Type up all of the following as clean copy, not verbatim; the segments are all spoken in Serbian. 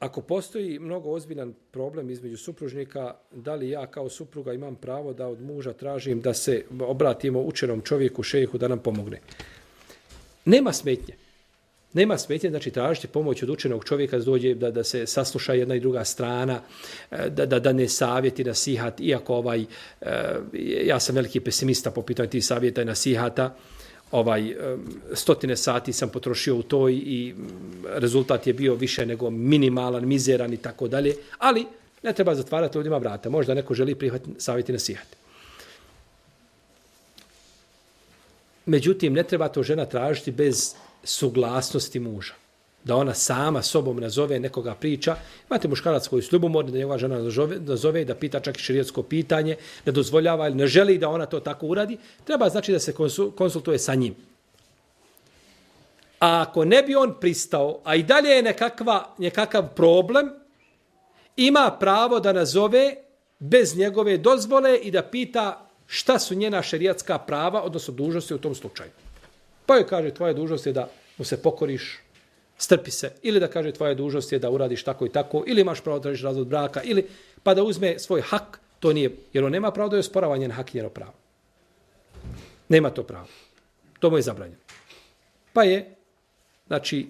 Ako postoji mnogo ozbiljan problem između supružnika, da li ja kao supruga imam pravo da od muža tražim da se obratimo učenom čovjeku, šejhu, da nam pomogne? Nema smetnje. Nema smetnje, znači tražiti pomoć od učenog čovjeka da dođe da se sasluša jedna i druga strana, da ne savjeti, nasihat, iako ja sam veliki pesimista po pitanju tih savjeta i nasihata, stotine sati sam potrošio u to i rezultat je bio više nego minimalan, mizeran i tako dalje, ali ne treba zatvarati ljudima vrata. Možda neko želi prihvatiti savjeti i nasihati. Međutim, ne treba to žena tražiti bez suglasnosti muža. Da ona sama sobom nazove nekoga priča. Imate muškarac koji su ljubomorni, da njegova žena nazove i da pita čak i šerijatsko pitanje, da dozvoljava ili ne želi da ona to tako uradi. Treba znači da se konsultuje sa njim. A ako ne bi on pristao, a i dalje je nekakav problem, ima pravo da nazove bez njegove dozvole i da pita šta su njena šerijatska prava, odnosno dužnosti u tom slučaju. Pa joj kaže, tvoja dužnost je da mu se pokoriš, strpi se, ili da kaže tvoja dužnost je da uradiš tako i tako, ili imaš pravo da tražiš razvod braka, ili pa da uzme svoj hak, to nije, jer on nema pravo da je osporava njen hak i njeno pravo. Nema to pravo. To mu je zabranjeno. Pa je, znači,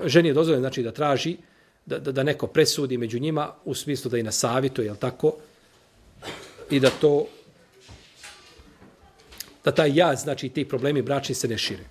ženi je dozvoljeno, znači, da traži, da neko presudi među njima, u smislu da i na savjetu, jel tako, i da taj jaz, znači, ti problemi bračni se ne šire.